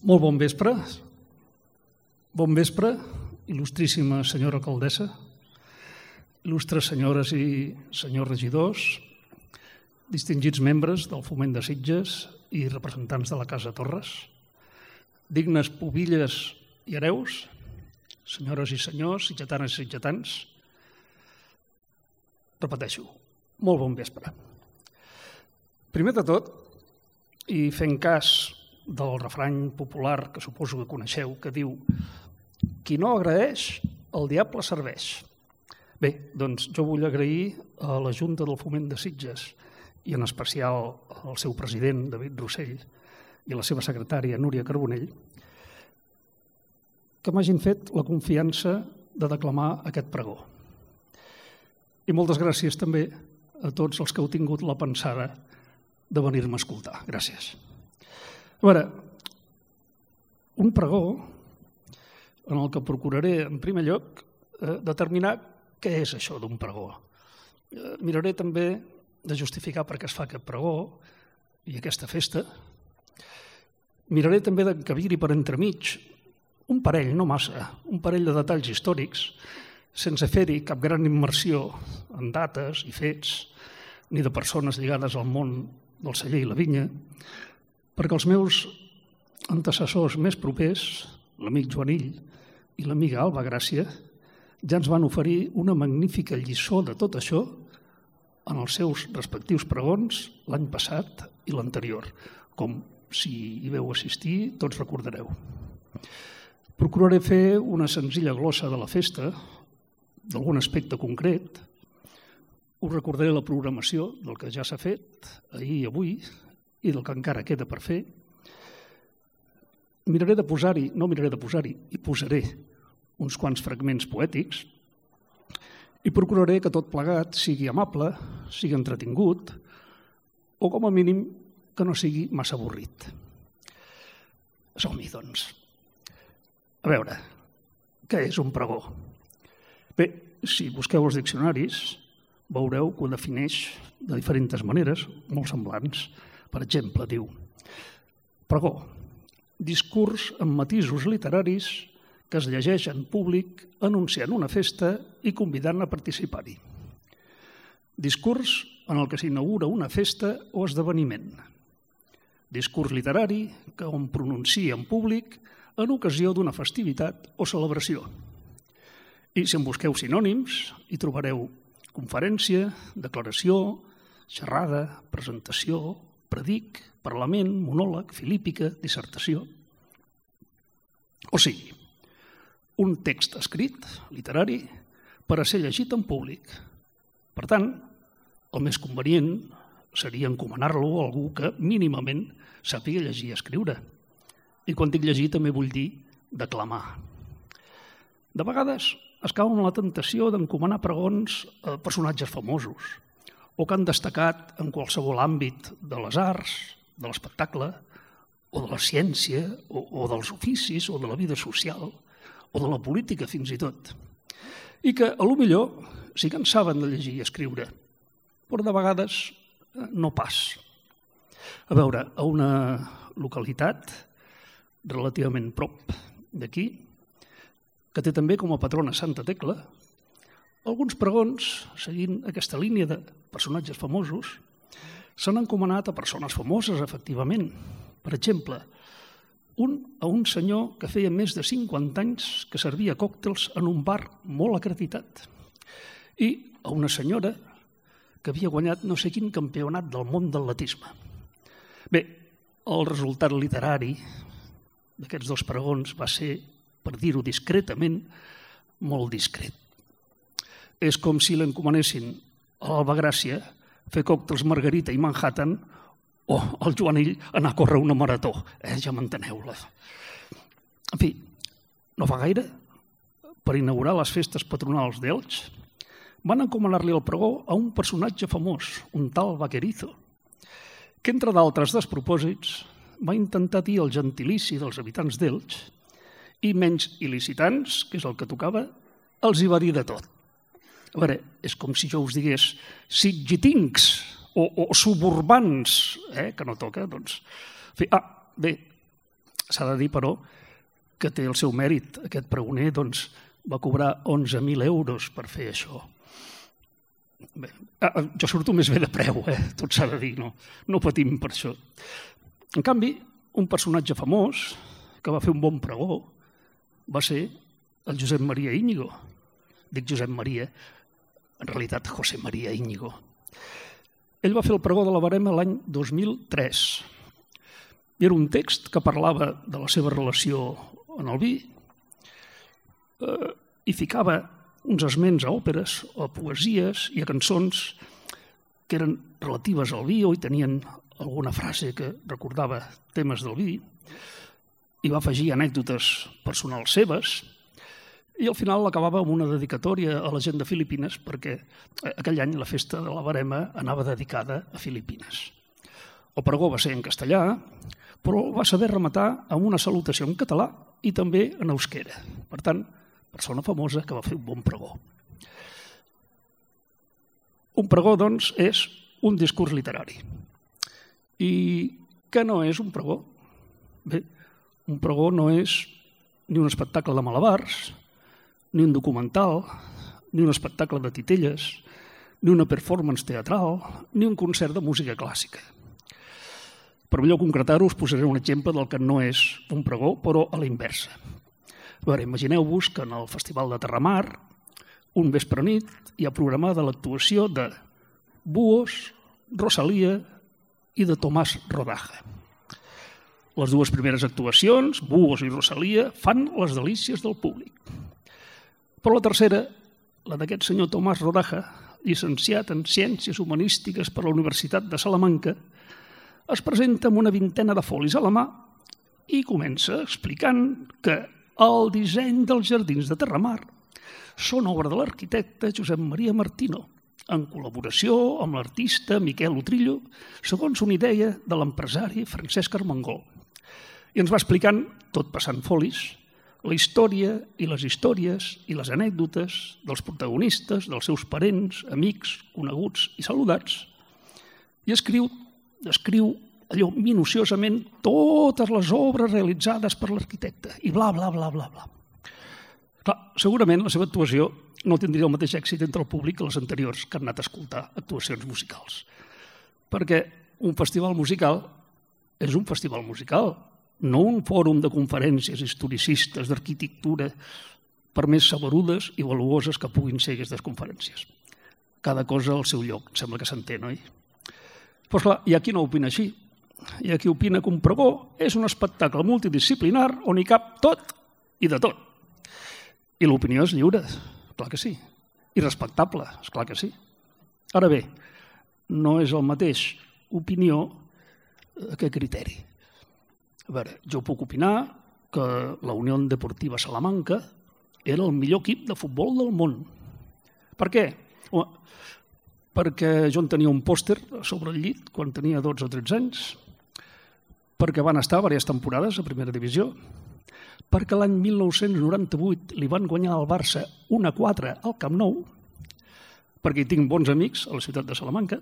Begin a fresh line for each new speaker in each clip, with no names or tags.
Molt bon vespre. Bon vespre, il·lustríssima senyora alcaldessa, il·lustres senyores i senyors regidors, distingits membres del Foment de Sitges i representants de la Casa Torres, dignes pubilles i hereus, senyores i senyors, sitgetanes i sitgetans, repeteixo, molt bon vespre. Primer de tot, i fent cas del refrany popular que suposo que coneixeu, que diu «Qui no agraeix, el diable serveix». Bé, doncs jo vull agrair a la Junta del Foment de Sitges i en especial al seu president, David Rossell, i a la seva secretària, Núria Carbonell, que m'hagin fet la confiança de declamar aquest pregó. I moltes gràcies també a tots els que heu tingut la pensada de venir-me a escoltar. Gràcies. A veure, un pregó en el que procuraré, en primer lloc, determinar què és això d'un pregó. Miraré també de justificar per què es fa aquest pregó i aquesta festa. Miraré també d'encabir-hi per entremig un parell, no massa, un parell de detalls històrics, sense fer-hi cap gran immersió en dates i fets, ni de persones lligades al món del celler i la vinya, perquè els meus antecessors més propers, l'amic Joanill i l'amiga Alba Gràcia, ja ens van oferir una magnífica lliçó de tot això en els seus respectius pregons l'any passat i l'anterior, com si hi veu assistir tots recordareu. Procuraré fer una senzilla glossa de la festa, d'algun aspecte concret. Us recordaré la programació del que ja s'ha fet ahir i avui i del que encara queda per fer. Miraré de posar-hi, i posaré uns quants fragments poètics i procuraré que tot plegat sigui amable, sigui entretingut o, com a mínim, que no sigui massa avorrit. Som-hi, doncs. A veure, què és un pregó? Bé, si busqueu els diccionaris, veureu que ho defineix de diferents maneres, molt semblants. Per exemple, diu pregó, discurs amb matisos literaris que es llegeix en públic anunciant una festa i convidant a participar-hi. Discurs en el que s'inaugura una festa o esdeveniment. Discurs literari que hom pronuncia en públic en ocasió d'una festivitat o celebració. I si en busqueu sinònims, hi trobareu conferència, declaració, xerrada, presentació, predic, parlament, monòleg, filípica, dissertació. O sigui, un text escrit, literari, per a ser llegit en públic. Per tant, el més convenient seria encomanar-lo a algú que mínimament sàpiga llegir i escriure. I quan dic llegir també vull dir declamar. De vegades es cau en la tentació d'encomanar pregons a personatges famosos o que han destacat en qualsevol àmbit de les arts, de l'espectacle, o de la ciència, o dels oficis, o de la vida social, o de la política fins i tot. I que, a lo millor, sí que en saben de llegir i escriure, però de vegades no pas. A veure, a una localitat relativament prop d'aquí, que té també com a patrona Santa Tecla, alguns pregons, seguint aquesta línia de personatges famosos, s'han encomanat a persones famoses, efectivament. Per exemple, a un senyor que feia més de 50 anys que servia còctels en un bar molt acreditat i a una senyora que havia guanyat no sé quin campionat del món d'atletisme. Bé, el resultat literari d'aquests dos pregons va ser, per dir-ho discretament, molt discret. És com si l'encomanessin a l'Alba Gràcia fer còctels Margarita i Manhattan o al Joanill anar a córrer una marató. Ja m'enteneu-la. En fi, no fa gaire, per inaugurar les festes patronals d'Elx, van encomanar-li el pregó a un personatge famós, un tal Vaquerizo, que, entre d'altres despropòsits, va intentar dir el gentilici dels habitants d'Elx i menys il·licitants, que és el que tocava, els hi va dir de tot. A veure, és com si jo us digués sitgitincs o suburbans, que no toca, doncs. Bé, S'ha de dir, però, que té el seu mèrit. Aquest pregoner va cobrar 11.000 euros per fer això. Bé, jo surto més bé de preu, tot s'ha de dir, no patim per això. En canvi, un personatge famós que va fer un bon pregó va ser el Josep Maria Íñigo. Dic Josep Maria, en realitat José María Íñigo. Ell va fer el pregó de la Verema l'any 2003. Era un text que parlava de la seva relació en el vi i ficava uns esments a òperes, a poesies i a cançons que eren relatives al vi o hi tenien alguna frase que recordava temes del vi, i va afegir anècdotes personals seves, i al final l'acabava amb una dedicatòria a la gent de Filipines, perquè aquell any la festa de la Verema anava dedicada a Filipines. El pregó va ser en castellà, però va saber rematar amb una salutació en català i també en euskera. Per tant, persona famosa que va fer un bon pregó. Un pregó, doncs, és un discurs literari. I què no és un pregó? Bé, un pregó no és ni un espectacle de malabars, ni un documental, ni un espectacle de titelles, ni una performance teatral, ni un concert de música clàssica. Per millor concretar-ho, us posaré un exemple del que no és un pregó, però a la inversa. A veure, imagineu-vos que en el Festival de Terramar, un vespre nit, hi ha programada l'actuació de Buos, Rosalía i de Tomàs Rodaja. Les dues primeres actuacions, Buos i Rosalía, fan les delícies del públic. Però la tercera, la d'aquest senyor Tomàs Rodaja, llicenciat en Ciències Humanístiques per la Universitat de Salamanca, es presenta amb una vintena de folis a la mà i comença explicant que el disseny dels jardins de Terramar són obra de l'arquitecte Josep Maria Martino, en col·laboració amb l'artista Miquel Utrillo, segons una idea de l'empresari Francesc Armengol. I ens va explicant, tot passant folis, la història i les històries i les anècdotes dels protagonistes, dels seus parents, amics, coneguts i saludats, i descriu allò minuciosament totes les obres realitzades per l'arquitecte i bla, bla, bla, bla, bla. Clar, segurament la seva actuació no tindria el mateix èxit entre el públic que les anteriors que han anat a escoltar actuacions musicals. Perquè un festival musical és un festival musical, no un fòrum de conferències historicistes d'arquitectura per més saberudes i valuoses que puguin ser aquestes conferències. Cada cosa al seu lloc, sembla que s'entén, oi? Però clar, hi ha qui no opina així. Hi ha qui opina que un pregó és un espectacle multidisciplinar on hi cap tot i de tot. I l'opinió és lliure, clar que sí. I respectable, esclar que sí. Ara bé, no és el mateix opinió que criteri. A veure, jo puc opinar que la Unió Deportiva Salamanca era el millor equip de futbol del món. Per què? Perquè jo en tenia un pòster sobre el llit quan tenia 12 o 13 anys, perquè van estar diverses temporades a primera divisió, perquè l'any 1998 li van guanyar al Barça 1-4 al Camp Nou, perquè hi tinc bons amics a la ciutat de Salamanca.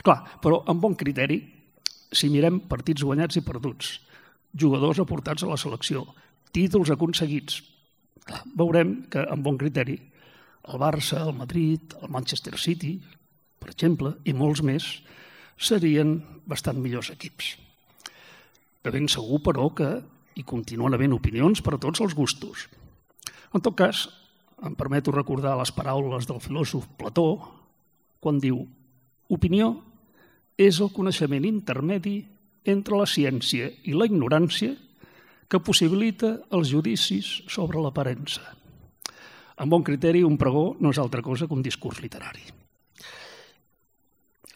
Clar, però amb bon criteri, si mirem partits guanyats i perduts, jugadors aportats a la selecció, títols aconseguits, clar, veurem que amb bon criteri el Barça, el Madrid, el Manchester City, per exemple, i molts més, serien bastant millors equips. De ben segur, però, que hi continuen havent opinions per a tots els gustos. En tot cas, em permeto recordar les paraules del filòsof Plató quan diu: opinió és el coneixement intermedi entre la ciència i la ignorància que possibilita els judicis sobre l'aparença. Amb bon criteri, un pregó no és altra cosa que un discurs literari.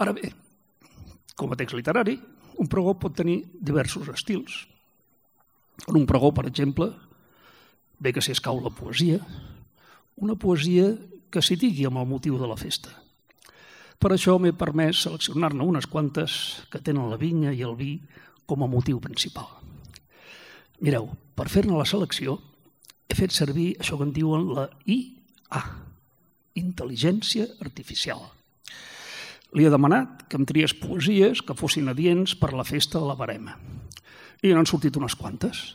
Ara bé, com a text literari, un pregó pot tenir diversos estils. En un pregó, per exemple, bé que s'hi escau la poesia, una poesia que s'hi digui amb el motiu de la festa. Per això m'he permès seleccionar-ne unes quantes que tenen la vinya i el vi com a motiu principal. Mireu, per fer-ne la selecció, he fet servir això que en diuen la IA, intel·ligència artificial. Li he demanat que em triés poesies que fossin adients per la festa de la Verema. I n'han sortit unes quantes.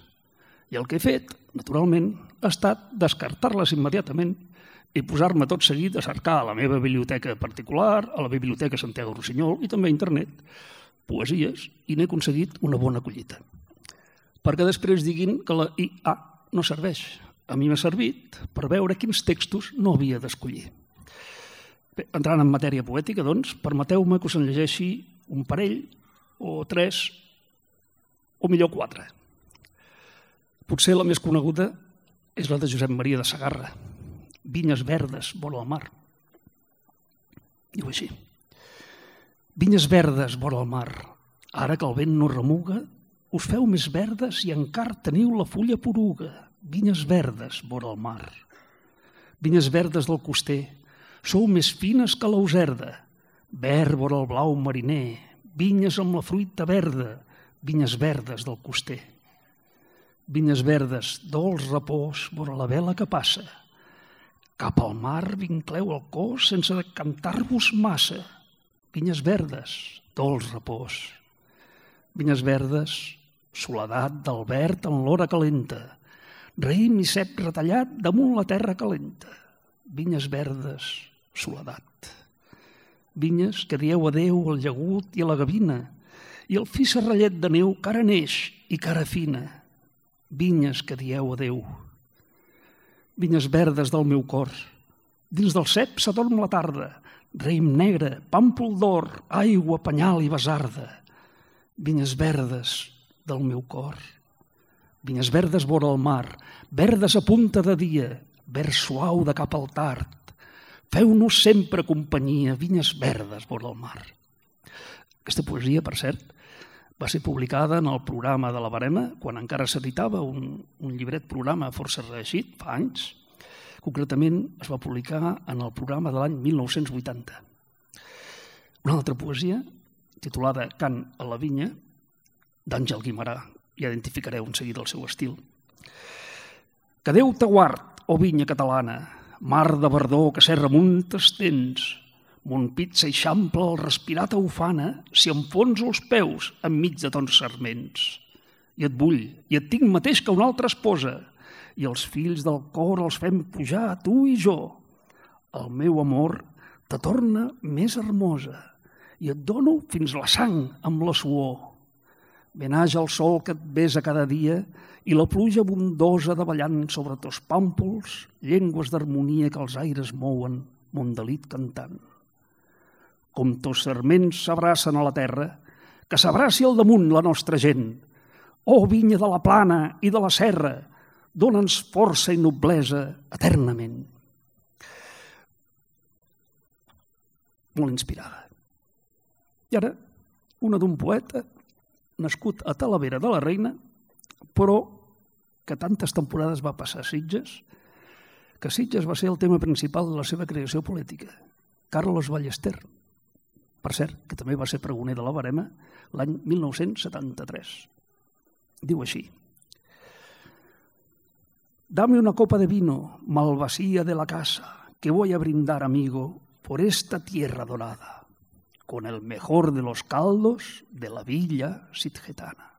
I el que he fet, naturalment, ha estat descartar-les immediatament i posar-me tot seguit a cercar a la meva biblioteca particular, a la biblioteca Santiago Rossinyol i també a internet, poesies, i n'he aconseguit una bona collita. Perquè després diguin que la IA no serveix. A mi m'ha servit per veure quins textos no havia d'escollir. Bé, entrant en matèria poètica, doncs, permeteu-me que us en llegeixi un parell, o 3, o millor 4. Potser la més coneguda és la de Josep Maria de Sagarra, Vinyes verdes vora el mar. Diu així: Vinyes verdes vora el mar, ara que el vent no remuga, us feu més verdes i encara teniu la fulla poruga. Vinyes verdes vora el mar. Vinyes verdes del coster, sou més fines que l'auserda. Verd vora el blau mariner, vinyes amb la fruita verda, vinyes verdes del coster. Vinyes verdes, dolç repòs vora la vela que passa. Cap al mar vincleu el cos sense decantar-vos massa. Vinyes verdes, dolç repòs. Vinyes verdes, soledat del verd en l'hora calenta. Raïm i cep retallat damunt la terra calenta. Vinyes verdes, soledat. Vinyes que dieu adéu al llagut i a la gavina, i el fi serrallet de neu que ara neix i que ara fina. Vinyes que dieu adéu. Vinyes verdes del meu cor, dins del cep s'adorm la tarda, raïm negre, pàmpol d'or, aigua, penyal i basarda. Vinyes verdes del meu cor. Vinyes verdes vora el mar, verdes a punta de dia, verd suau de cap al tard. Feu-nos sempre companyia, vinyes verdes vora el mar. Aquesta poesia, per cert, va ser publicada en el programa de la Verema, quan encara s'editava un llibret programa força reeixit, fa anys. Concretament es va publicar en el programa de l'any 1980. Una altra poesia, titulada Cant a la vinya, d'Àngel Guimerà. Ja identificareu en seguida el seu estil. Que Déu te guard, o vinya catalana, mar de verdor que serra munt t'estens, mon pit s'eixample al respirar taufana si enfonso els peus enmig de tons sarments. I et vull, i et tinc mateix que una altra esposa, i els fills del cor els fem pujar, tu i jo. El meu amor te torna més hermosa, i et dono fins la sang amb la suor. Benage el sol que et besa cada dia i la pluja abundosa davallant sobre tos pàmpols, llengües d'harmonia que els aires mouen, mon delit cantant. Com tos sarments s'abracen a la terra, que s'abraci al damunt la nostra gent. Oh, vinya de la plana i de la serra, dona'ns força i noblesa eternament. Molt inspirada. I ara, una d'un poeta nascut a Talavera de la Reina, però que tantes temporades va passar a Sitges, que Sitges va ser el tema principal de la seva creació política. Carlos Ballester, per cert, que també va ser pregoner de la Verema l'any 1973. Diu així: Dame una copa de vino, malvasía de la casa, que voy a brindar, amigo, por esta tierra dorada, con el mejor de los caldos de la villa sitgetana.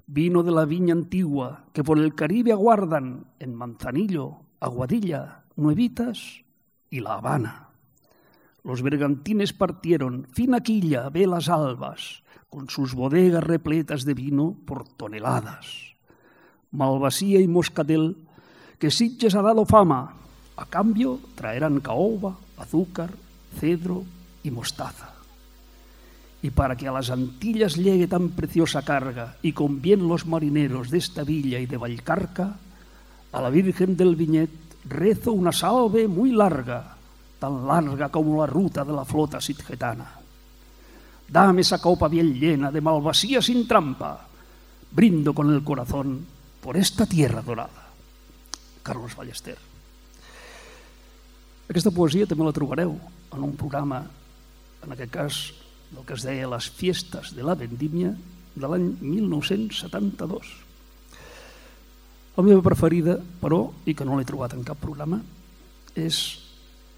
Vino de la viña antigua que por el Caribe aguardan en Manzanillo, Aguadilla, Nuevitas y La Habana. Los bergantines partieron, fina quilla, velas albas, con sus bodegas repletas de vino por toneladas. Malvasía y moscatel, que Sitges ha dado fama, a cambio traerán caoba, azúcar, cedro y mostaza. Y para que a las Antillas llegue tan preciosa carga y con bien los marineros de esta villa y de Vallcarca, a la Virgen del Viñet rezo una salve muy larga, tan larga como la ruta de la flota sitgetana. Dame esa copa bien llena de malvasía sin trampa, brindo con el corazón por esta tierra dorada. Carlos Ballester. Aquesta poesia també la trobareu en un programa, en aquest cas, del que es deia Les Fiestas de la Vendimia, de l'any 1972. La meva preferida, però, i que no l'he trobat en cap programa, és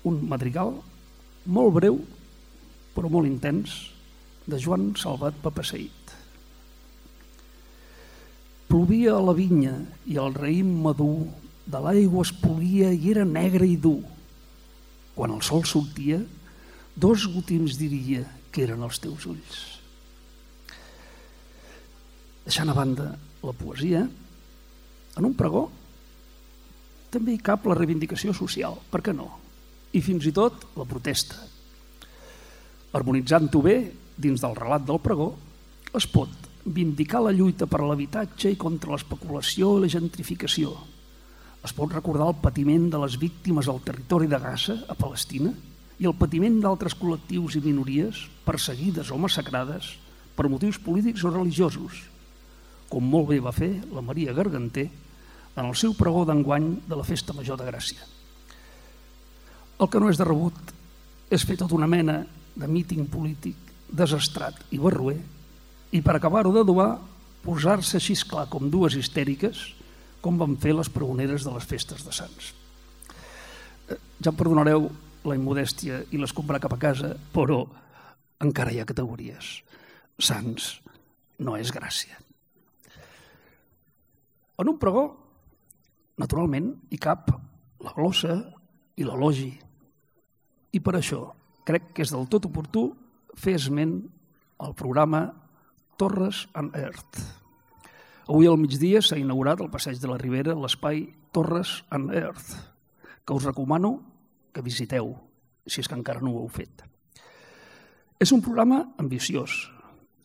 un madrigal molt breu, però molt intens, de Joan Salvat Papasseit. Plovia a la vinya i el raïm madur de l'aigua es polia i era negre i dur. Quan el sol sortia, 2 gotims diria que eren els teus ulls. Deixant a banda la poesia, en un pregó també hi cap la reivindicació social, per què no? I fins i tot la protesta. Harmonitzant-ho bé, dins del relat del pregó, es pot vindicar la lluita per l'habitatge i contra l'especulació i la gentrificació. Es pot recordar el patiment de les víctimes al territori de Gaza, a Palestina, i el patiment d'altres col·lectius i minories perseguides o massacrades per motius polítics o religiosos, com molt bé va fer la Maria Garganter en el seu pregó d'enguany de la Festa Major de Gràcia. El que no és de rebut és fer tota una mena de míting polític desastrat i barroer i per acabar-ho d'adobar posar-se així clar com 2 histèriques com van fer les pregoneres de les festes de Sants. Ja em perdonareu la immodèstia i l'escombrar cap a casa, però encara hi ha categories. Sants no és Gràcia. En un pregó, naturalment, hi cap la glossa i l'elogi. I per això crec que és del tot oportú fer esment al programa Torres and Earth. Avui al migdia s'ha inaugurat al Passeig de la Ribera l'espai Torres and Earth, que us recomano que visiteu, si és que encara no ho heu fet. És un programa ambiciós,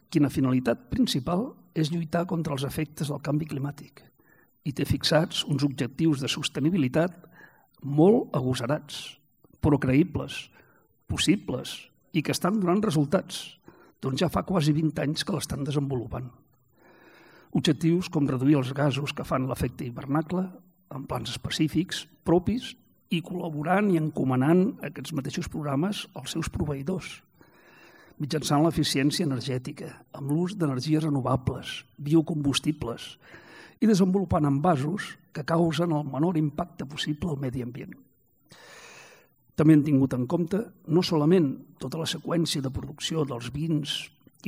quina finalitat principal és lluitar contra els efectes del canvi climàtic i té fixats uns objectius de sostenibilitat molt agosarats, però creïbles, possibles i que estan donant resultats, doncs ja fa quasi 20 anys que l'estan desenvolupant. Objectius com reduir els gasos que fan l'efecte hivernacle en plans específics, propis, i col·laborant i encomanant aquests mateixos programes als seus proveïdors, mitjançant l'eficiència energètica, amb l'ús d'energies renovables, biocombustibles, i desenvolupant envasos que causen el menor impacte possible al medi ambient. També hem tingut en compte no solament tota la seqüència de producció dels vins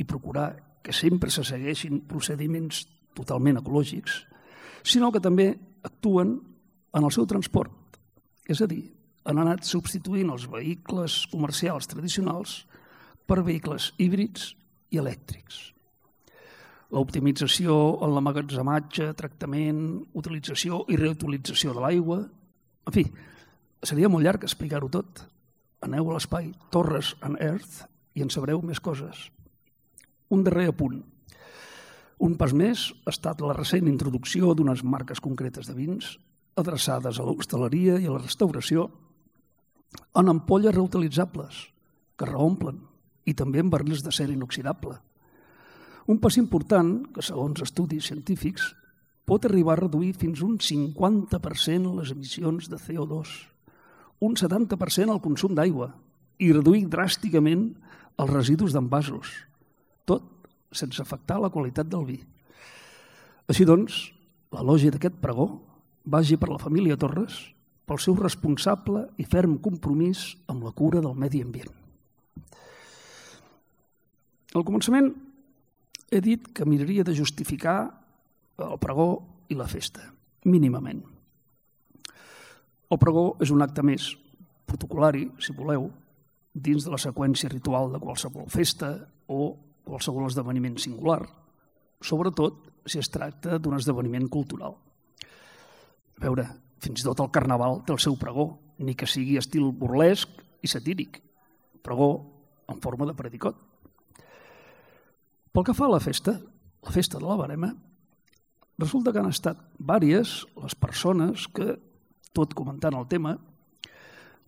i procurar que sempre se segueixin procediments totalment ecològics, sinó que també actuen en el seu transport. És a dir, han anat substituint els vehicles comercials tradicionals per vehicles híbrids i elèctrics. L'optimització en l'emmagatzematge, tractament, utilització i reutilització de l'aigua. En fi, seria molt llarg explicar-ho tot. Aneu a l'espai Torres and Earth i en sabreu més coses. Un darrer apunt. Un pas més ha estat la recent introducció d'unes marques concretes de vins adreçades a l'hostaleria i a la restauració en ampolles reutilitzables que reomplen i també en barrils d'acer inoxidable. Un pas important que, segons estudis científics, pot arribar a reduir fins un 50% les emissions de CO2, un 70% el consum d'aigua i reduir dràsticament els residus d'envasos, tot sense afectar la qualitat del vi. Així doncs, l'elogi d'aquest pregó vagi per la família Torres pel seu responsable i ferm compromís amb la cura del medi ambient. Al començament he dit que miraria de justificar el pregó i la festa, mínimament. El pregó és un acte més protocolari, si voleu, dins de la seqüència ritual de qualsevol festa o qualsevol esdeveniment singular, sobretot si es tracta d'un esdeveniment cultural. A veure, fins i tot el carnaval té el seu pregó, ni que sigui estil burlesc i satíric, pregó en forma de predicot. Pel que fa a la festa de la Verema, resulta que han estat vàries les persones que, tot comentant el tema,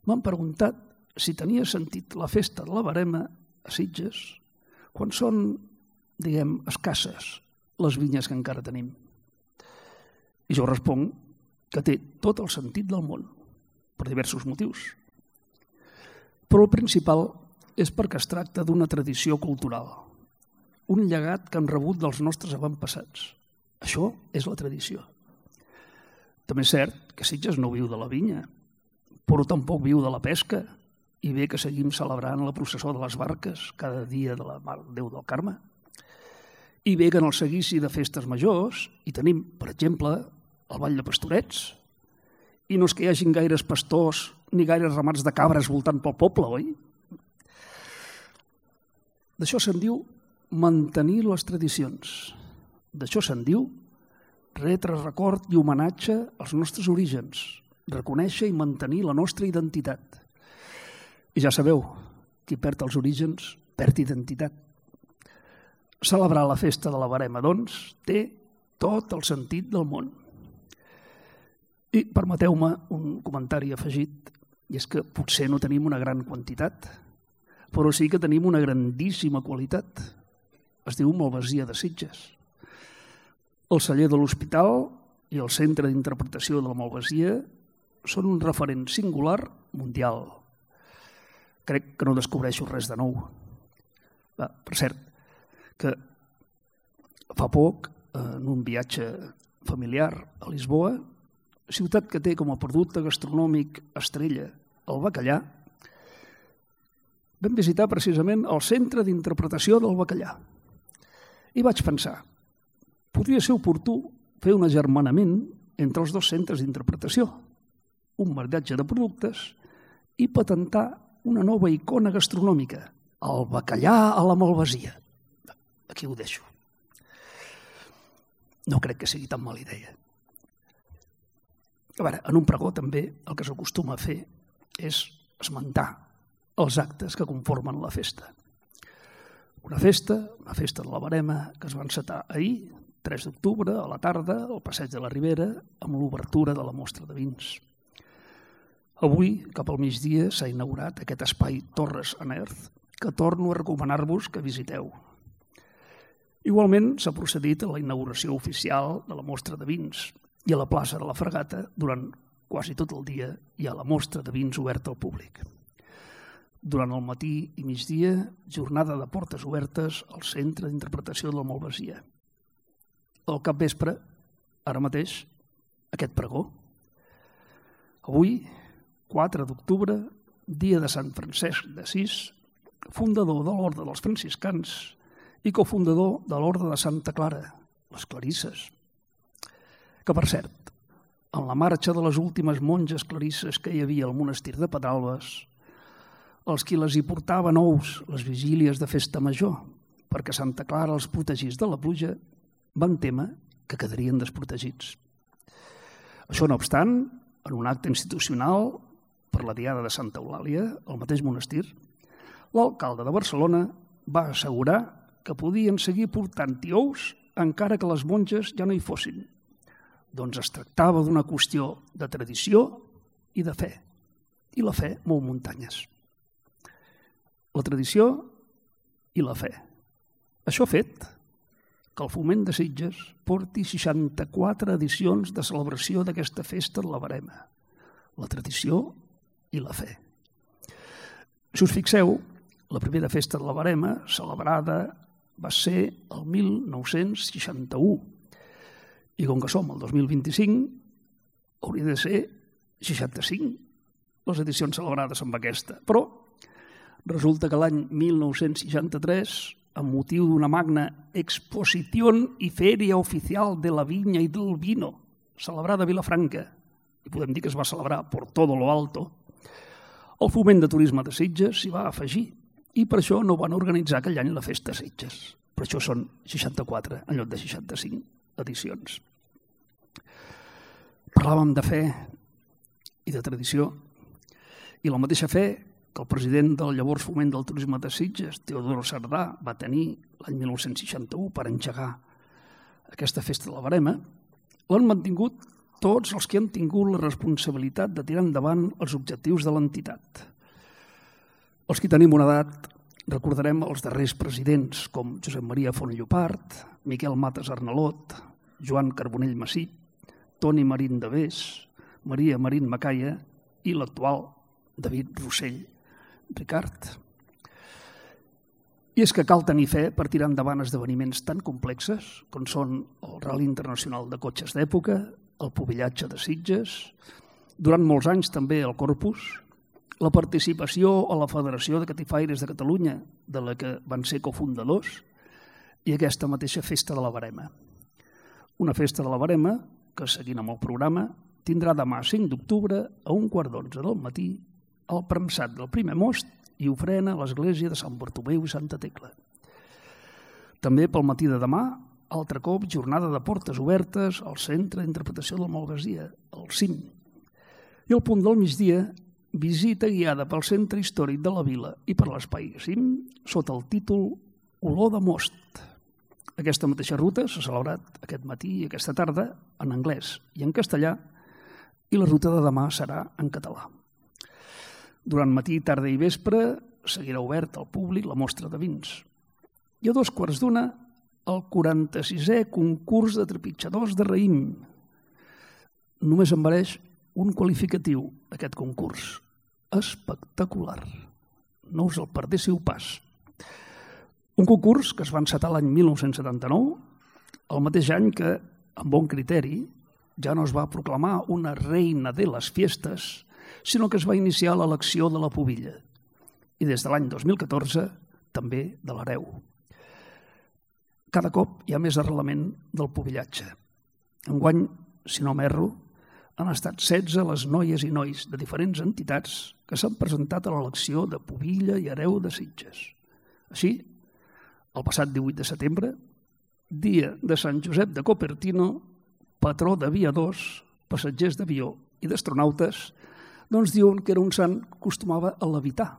m'han preguntat si tenia sentit la festa de la Verema a Sitges quan són, diguem, escasses les vinyes que encara tenim. I jo responc que té tot el sentit del món, per diversos motius. Però el principal és perquè es tracta d'una tradició cultural, un llegat que han rebut dels nostres avantpassats. Això és la tradició. També és cert que Sitges no viu de la vinya, però tampoc viu de la pesca, i bé que seguim celebrant la processó de les barques cada dia de la Mare de Déu del Carme. I bé que en el seguici de festes majors hi tenim, per exemple, el ball de pastorets, i no és que hi hagin gaires pastors ni gaires ramats de cabres voltant pel poble, oi? D'això se'n diu mantenir les tradicions. D'això se'n diu retre record i homenatge als nostres orígens, reconèixer i mantenir la nostra identitat. I ja sabeu, qui perd els orígens perd identitat. Celebrar la festa de la Verema, doncs, té tot el sentit del món. I permeteu-me un comentari afegit, i és que potser no tenim una gran quantitat, però sí que tenim una grandíssima qualitat. Es diu Malvasia de Sitges. El celler de l'Hospital i el Centre d'Interpretació de la Malvasia són un referent singular mundial. Crec que no descobreixo res de nou. Per cert, que fa poc, en un viatge familiar a Lisboa, ciutat que té com a producte gastronòmic estrella el bacallà, vam visitar precisament el Centre d'Interpretació del Bacallà. I vaig pensar, podria ser oportú fer un agermanament entre els dos centres d'interpretació, un maridatge de productes i patentar una nova icona gastronòmica, el bacallà a la Malvasia. Aquí ho deixo. No crec que sigui tan mala idea. A veure, en un pregó també el que s'acostuma a fer és esmentar els actes que conformen la festa. Una festa de la Verema, que es va encetar ahir, 3 d'octubre, a la tarda, al Passeig de la Ribera, amb l'obertura de la mostra de vins. Avui, cap al migdia, s'ha inaugurat aquest espai Torres and Earth, que torno a recomanar-vos que visiteu. Igualment, s'ha procedit a la inauguració oficial de la mostra de vins i a la plaça de la Fregata durant quasi tot el dia hi ha la mostra de vins oberta al públic. Durant el matí i migdia, jornada de portes obertes al Centre d'Interpretació de la Malvasia. Al capvespre, ara mateix, aquest pregó. Avui, 4 d'octubre, dia de Sant Francesc d'Assís, fundador de l'Orde dels Franciscans i cofundador de l'Orde de Santa Clara, les Clarisses. Que, per cert, en la marxa de les últimes monges clarisses que hi havia al monestir de Pedralbes, els qui les hi portaven ous les vigílies de festa major, perquè Santa Clara els protegís de la pluja, van témer que quedarien desprotegits. Això no obstant, en un acte institucional per la Diada de Santa Eulàlia, al mateix monestir, l'alcalde de Barcelona va assegurar que podien seguir portant-hi ous encara que les monges ja no hi fossin. Doncs es tractava d'una qüestió de tradició i de fe. I la fe mou muntanyes. La tradició i la fe. Això ha fet que el Foment de Sitges porti 64 edicions de celebració d'aquesta festa de la Verema. La tradició i la fe. Si us fixeu, la primera festa de la Verema celebrada va ser el 1961. I com que som el 2025, hauria de ser 65 les edicions celebrades amb aquesta. Però resulta que l'any 1963, amb motiu d'una magna Exposición y Feria Oficial de la Viña y del Vino, celebrada a Vilafranca, i podem dir que es va celebrar por todo lo alto, el Foment de Turisme de Sitges s'hi va afegir i per això no van organitzar aquell any la Festa de Sitges. Per això són 64 en lloc de 65 edicions. Parlàvem de fe i de tradició i la mateixa fe que el president del llavors Foment del Turisme de Sitges, Teodoro Sardà, va tenir l'any 1961 per engegar aquesta festa de la Verema, l'han mantingut tots els que han tingut la responsabilitat de tirar endavant els objectius de l'entitat. Els que tenim una edat recordarem els darrers presidents com Josep Maria Font Llopart, Miquel Matas Arnalot, Joan Carbonell Massip, Toni Marín de Bes, Maria Marín Macaya i l'actual David Rossell Ricard. I és que cal tenir fe per tirar endavant esdeveniments tan complexes com són el Rally Internacional de Cotxes d'Època, el Pubillatge de Sitges, durant molts anys també el Corpus, la participació a la Federació de Catifaires de Catalunya, de la que van ser cofundadors, i aquesta mateixa festa de la Verema. Una festa de la Verema que, seguint amb el programa, tindrà demà 5 d'octubre a 1:15 del matí al premsat del primer most i ofrena a l'església de Sant Bartomeu i Santa Tecla. També pel matí de demà, altre cop, jornada de portes obertes al Centre d'Interpretació del Malvasia, el CIM. I al punt del migdia, visita guiada pel Centre Històric de la Vila i per l'Espai CIM sota el títol Olor de most. Aquesta mateixa ruta s'ha celebrat aquest matí i aquesta tarda en anglès i en castellà i la ruta de demà serà en català. Durant matí, tarda i vespre seguirà obert al públic la mostra de vins. I a 2:15 el 46è concurs de trepitjadors de raïm. Només em mereix un qualificatiu, aquest concurs. Espectacular. No us el perdéssiu pas. Un concurs que es va encetar l'any 1979, el mateix any que, amb bon criteri, ja no es va proclamar una reina de les fiestes, sinó que es va iniciar l'elecció de la pubilla. I des de l'any 2014 també de l'hereu. Cada cop hi ha més arrelament del pubillatge. Enguany, si no m'erro, han estat 16 les noies i nois de diferents entitats que s'han presentat a l'elecció de pubilla i hereu de Sitges. Així, el passat 18 de setembre, dia de Sant Josep de Copertino, patró d'aviadors, passatgers d'avió i d'astronautes, doncs diuen que era un sant que acostumava a levitar.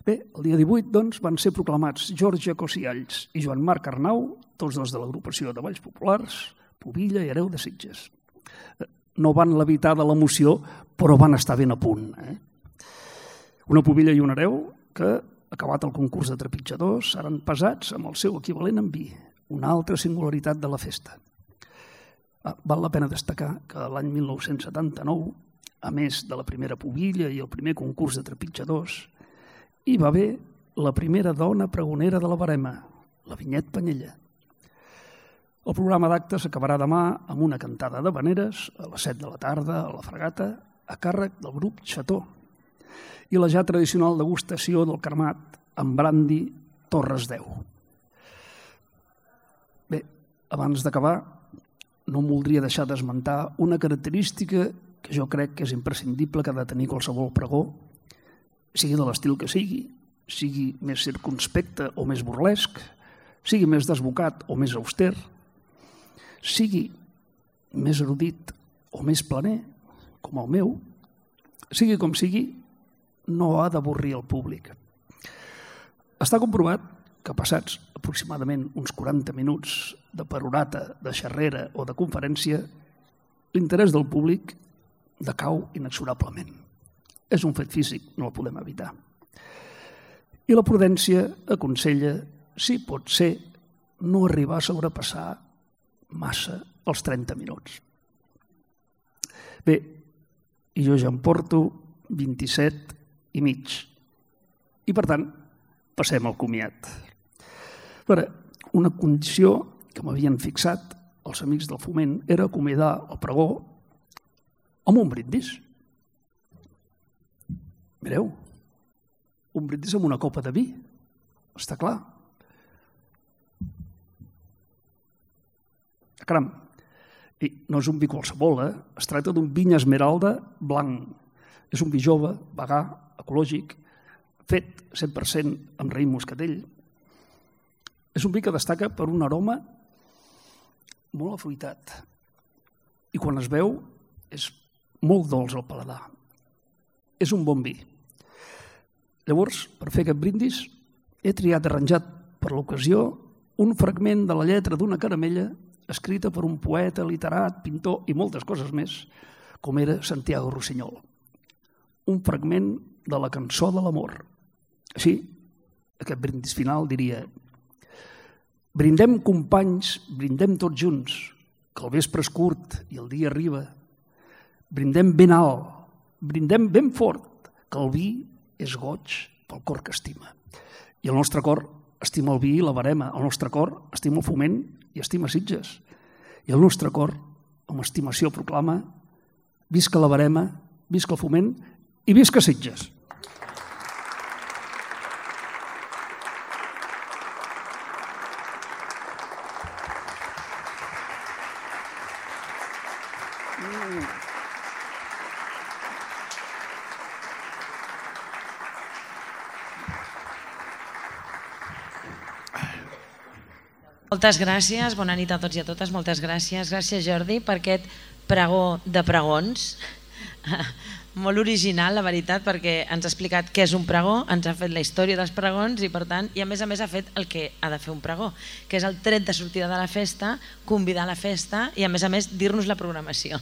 Bé, el dia 18 doncs, van ser proclamats Jorge Cosialls i Joan Marc Arnau, tots dos de l'agrupació de Balls Populars, pubilla i hereu de Sitges. No van levitar de l'emoció, però van estar ben a punt. Una pubilla i un hereu que, acabat el concurs de trepitjadors, seran pesats amb el seu equivalent en vi, una altra singularitat de la festa. Val la pena destacar que l'any 1979, a més de la primera pubilla i el primer concurs de trepitjadors, hi va haver la primera dona pregonera de la Verema, la Vinyet Panyella. El programa d'actes acabarà demà amb una cantada de veneres a les 7 de la tarda a la Fregata, a càrrec del grup Xató, i la ja tradicional degustació del cremat amb brandi Torres 10. Bé, abans d'acabar, no em voldria deixar d'esmentar una característica que jo crec que és imprescindible que ha de tenir qualsevol pregó, sigui de l'estil que sigui més circunspecte o més burlesc, sigui més desbocat o més auster, sigui més erudit o més planer, com el meu, sigui com sigui, no ha d'avorrir el públic. Està comprovat que passats aproximadament uns 40 minuts de perorata, de xerrera o de conferència, l'interès del públic decau inexorablement. És un fet físic, no el podem evitar. I la prudència aconsella, si pot ser, no arribar a sobrepassar massa els 30 minuts. Bé, i jo ja em porto 27 i mig. I, per tant, passem al comiat. Una condició que m'havien fixat els amics del Foment era acomiadar el pregó amb un brindis. Mireu, un brindis amb una copa de vi, està clar. Caram, i no és un vi qualsevol, es tracta d'un viny esmeralda blanc. És un vi jove, vegà, ecològic, fet 100% amb raïm moscatell. És un vi que destaca per un aroma molt afruitat i quan es veu és molt dolç al paladar. És un bon vi. Llavors, per fer aquest brindis, he triat arranjat per l'ocasió un fragment de la lletra d'una caramella escrita per un poeta, literat, pintor i moltes coses més, com era Santiago Rossinyol. Un fragment de la cançó de l'amor. Així, aquest brindis final diria: brindem, companys, brindem tots junts, que el vespre és curt i el dia arriba. Brindem ben alt, brindem ben fort, que el vi és goig pel cor que estima. I el nostre cor estima el vi i la Verema, el nostre cor estima el Foment i estima Sitges. I el nostre cor, amb estimació, proclama: visca la Verema, visca el Foment i visca Sitges.
Moltes gràcies, bona nit a tots i a totes, moltes gràcies. Gràcies, Jordi, per aquest pregó de pregons. Molt original, la veritat, perquè ens ha explicat què és un pregó, ens ha fet la història dels pregons i, per tant, i a més ha fet el que ha de fer un pregó, que és el tret de sortida de la festa, convidar a la festa i, a més, dir-nos la programació.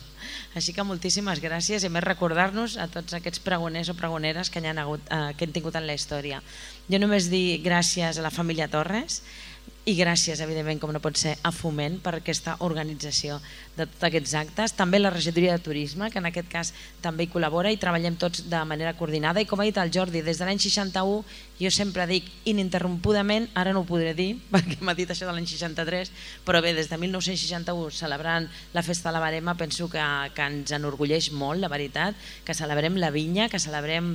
Així que moltíssimes gràcies i a més recordar-nos a tots aquests pregoners o pregoneres que hem tingut en la història. Jo només dir gràcies a la família Torres i gràcies, evidentment, com no pot ser, a Foment per aquesta organització de tots aquests actes. També la regidoria de turisme, que en aquest cas també hi col·labora i treballem tots de manera coordinada. I com ha dit el Jordi, des de l'any 61 jo sempre dic ininterrompudament, ara no ho podré dir perquè m'ha dit això de l'any 63, però bé, des de 1961 celebrant la festa de la Verema penso que ens enorgulleix molt, la veritat, que celebrem la vinya, que celebrem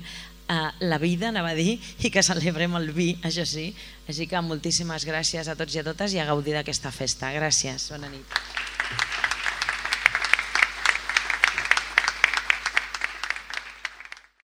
la vida, anava a dir, i que celebrem el vi, això sí. Així que moltíssimes gràcies a tots i a totes i a gaudir d'aquesta festa. Gràcies, bona nit.